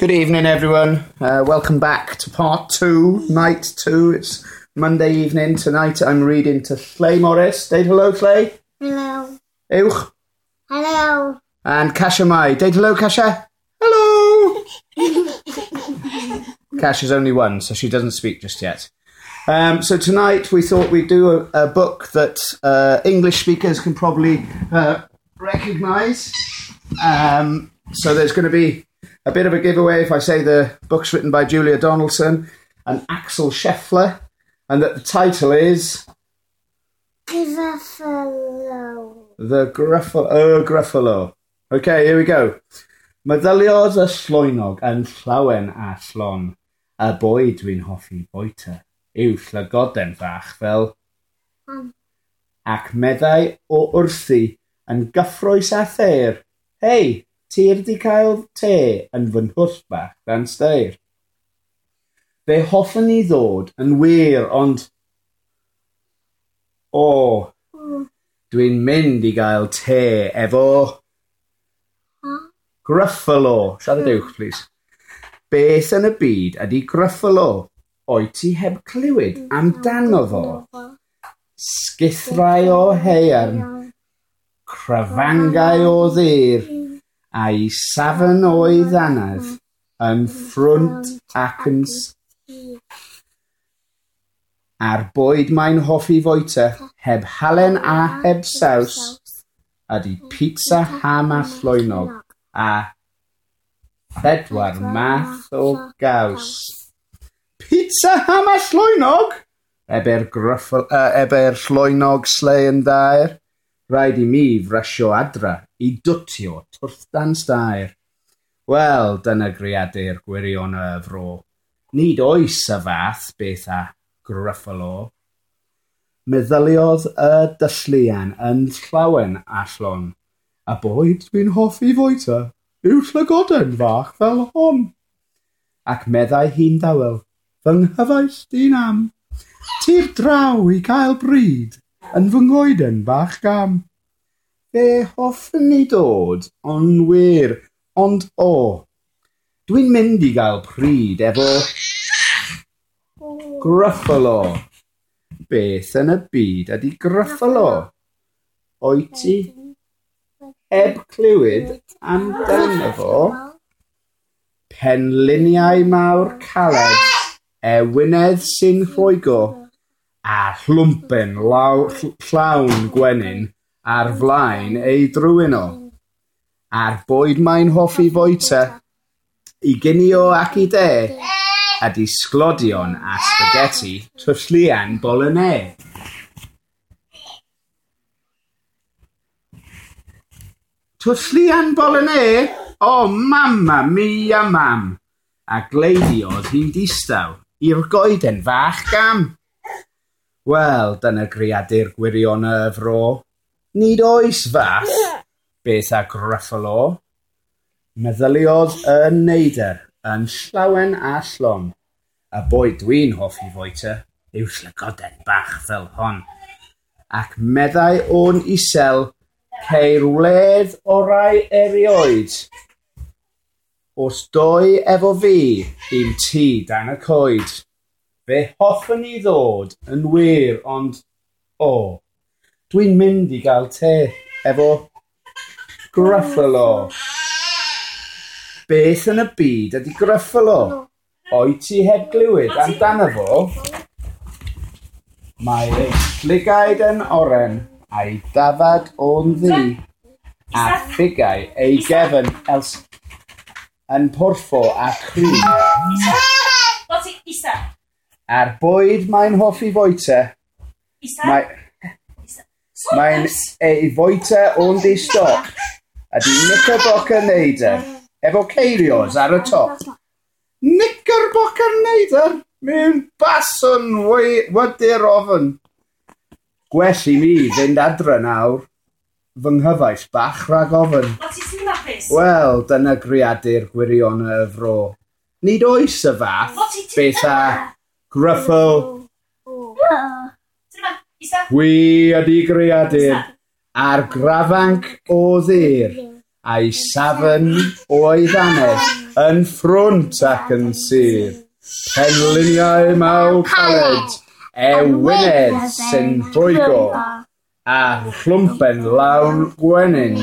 Good evening, everyone. Welcome back to part 2, night 2. It's Monday evening. Tonight I'm reading to Lleu Morris. Deud hello, Lleu. Hello. Uwch. Hello. And Kasia Mai. Deud hello, Kasia. Hello. Kasia's only one, so she doesn't speak just yet. So tonight we thought we'd do a book that English speakers can probably recognise. So there's going to be a bit of a giveaway if I say the book's written by Julia Donaldson and Axel Scheffler, and that the title is Gruffalo. The Gruffalo. Gruffalo. Okay, here we go. Meddyliodd y llwynog yn llawen a llon, y bwyd dwi'n hoffi bwyta yw llygoden fach fel ac meddai o wrthi yn gyffrous a thaer. Hei, tir di cael te yn fy nhwll bach dan steir. Fe hoffwn i ddod yn wir, ond o, dwi'n mynd i gael te efo Gruffalo. Siarad uwch, please. Beth yn y byd ydy Gruffalo? Oed ti heb clywed amdano fo? Sgithrau o haearn, crafangau o ddur, a'i safon o'i ddanedd yn ffrwnt ac yn A'r bwyd mae'n hoffi fwyta, heb halen a heb saws, ydy pizza ham a llwynog, a phedwar math o gaws. Pizza ham a llwynog? Ebe'r llwynog slei yn dair. Rhaid i mi frasio adra i dwtio twrth dan stair. Wel, dyna greadur gwirion y fro. Nid oes y fath beth a Gruffalo. Meddyliodd y dylluan yn llawen a llon. A bwyd dwi'n hoffi fwyta yw llygoden fach fel hon. Ac meddai hi'n dawel, fy nghyfaill di'n am. Tir draw i gael bryd yn fy nghoeden bach gam. Fe hoffwn i dod, ond wir, ond o. Dwi'n mynd i gael pryd efo Gruffalo. Beth yn y byd ydy Gruffalo? Oed ti heb clywed amdano fo? Penliniau mawr caled, ewinedd sy'n rhwygo, a llwmpen llawn gwenyn ar flaen ei drwyn o. A'r bwyd mae'n hoffi fwyta, i ginio ac i de, ydy sglodion a spaghetti tylluan bolognese. Tylluan bolognese? O, mamma mia mam! A gleidiodd hi'n distaw i'r goeden fach gam. Wel, dyna greadur gwirion y fro. Nid oes fath beth a Gruffalo. Meddyliodd y neidr yn llawen a llon. Y bwyd dwi'n hoffi fwyta yw llygoden bach fel hon. Ac meddai o'n isel, ceir wledd orau erioed. Os doi efo fi i'm tŷ dan y coed. Fe hoffwn i ddod yn wir, ond o, dwi'n mynd i gael te efo Gruffalo. Beth yn y byd ydy Gruffalo? Oed ti heb glywed amdano fo? Mae ei llygaid yn oren a'i dafad o'n ddu, a phigau ei gefn yn porffor a cry. A'r bwyd mae'n hoffi fwyta, mae'n ei fwyta o'n di-stop, ydy knickerbocker neidr, efo ceirios ar y top. Knickerbocker neidr? Mewn baswn wydyr ofn. Gwell i mi fynd adre nawr, fy nghyfaill bach rhag ofn. Wel, dyna greadur gwirion y fro. Nid oes y fath beth a Gruffalo. Hwi ydy greadur a'r grafanc o ddur, a'i safon o'i ddannedd. Yn ffrwnt ac yn sydd, penliniau mawr caled, ewinedd sy'n rhwygo, a chlwmpen lawn gwenyn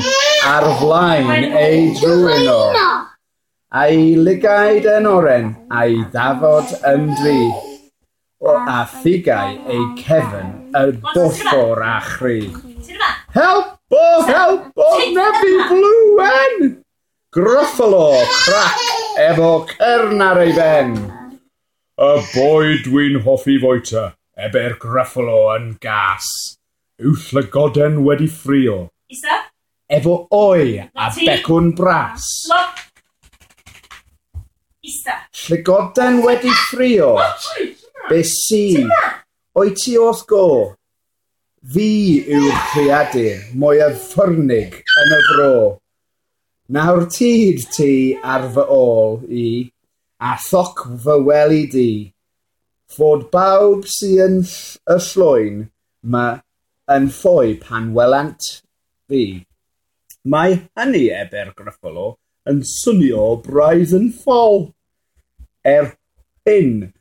ar flaen ei drwyn o. A'i lygaid yn oren, a'i ddafod yn ddu, a phigau ei cefn y borffor a chri. Help o, help o, nefi bluen! Gruffalo crac efo cern ar ei ben. Y boi dwi'n hoffi fwyta, ebe'r Gruffalo yn gas. Yw llygoden wedi ffrio. Isa. Efo oi a becwn bras. Isa. Llygoden wedi ffrio. Be sy? O'i ti wrth go? Fi yw'r creadur mwyaf ffyrnig yn y fro. Nawr tyd ti ar fy ôl i, a thoc fy wely di. Fod bawb sy yn y llwyn ma yn ffoi pan welant fi. Mae hynny, ebe'r Gruffalo, yn swnio braidd yn ffôl. Er hyn,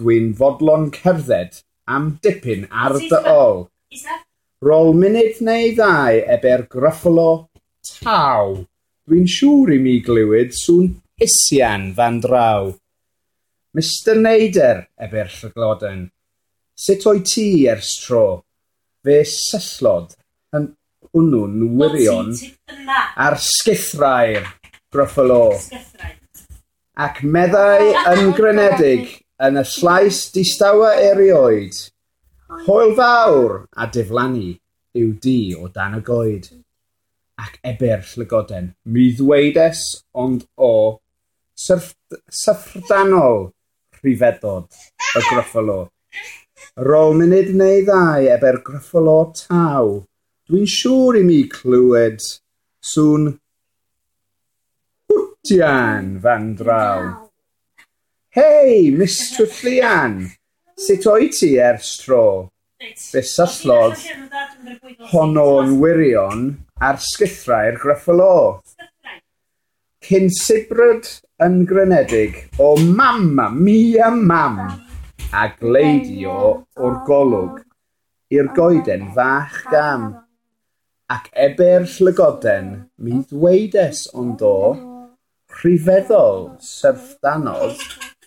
dwi'n fodlon cerdded am dipyn ar dy ôl. Rôl munud neu ddau, ebe'r Gruffalo, taw. Dwi'n siŵr i mi glywed sŵn hisian fan draw. Mr Neider, ebe'r llygoden, sut o'i ti ers tro? Fe syllodd yn hwnnw'n wirion ar sgithrau'r Gruffalo. Ac meddai yn grynedig yn y llais distawa erioed, hwyl fawr a diflannu yw di o dan y goed. Ac ebe'r llygoden, mi ddweides ond o, syfrdanol rhyfeddod y Gruffalo. Rôl munud neu ddau ebe'r Gruffalo taw, dwi'n siŵr i mi clywed sŵn hwtian fan draw. Hei, Mr Llian, sut o'i ti ers tro? Fe syllodd honno'n wirion ar sgithrau'r Gruffalo. Cyn sibrwd yn grynedig o mamma mia mam, a gleidio o'r golwg i'r goeden fach gam. Ac ebe'r llygoden, mi ddweides ond o, rhyfeddol syfrdanodd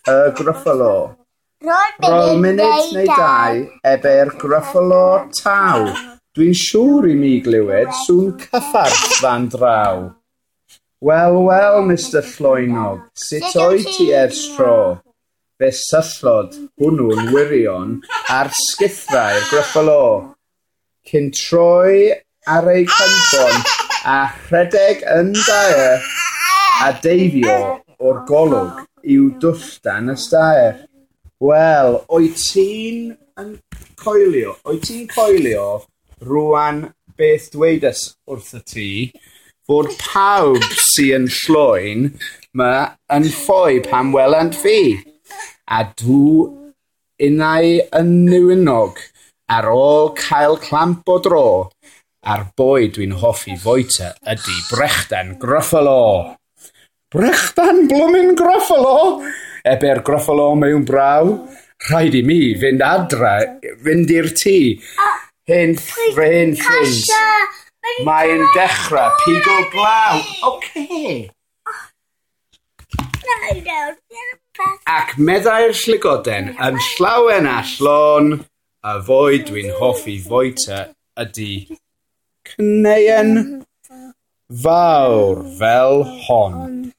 y Gruffalo. Rôl munud neu dau, ebe'r Gruffalo taw. Dwi'n siŵr i mi glywed sŵn cyffarth fan draw. Wel, wel, Mr Llwynog, sut o'i ti ers tro? Fe syllodd hwnnw'n wirion ar sgithrau'r Gruffalo. Cyn troi ar ei cynffon a rhedeg yn daer a deifio o'r golwg i'w dwll dan y staer. Wel, o'i ti'n yn coelio, o'i ti'n coelio rwan beth dwedais wrth y ti, fod pawb sy yn llwyn ma yn ffoi pan welant fi. A dw innau yn newinog ar ôl cael clamp o dro, a'r boi dwi'n hoffi fwyta ydy brechdan Gruffalo. Brechdan blwmin Gruffalo? Ebe'r Gruffalo mewn braw. Rhaid i mi fynd adra, fynd i'r tŷ. Hen ffrind. Mae'n dechrau pigo glaw. Ocê. Ac meddai'r llygoden yn llawen a llon, y fwyd dwi'n hoffi fwyta ydy cneuen fawr fel hon.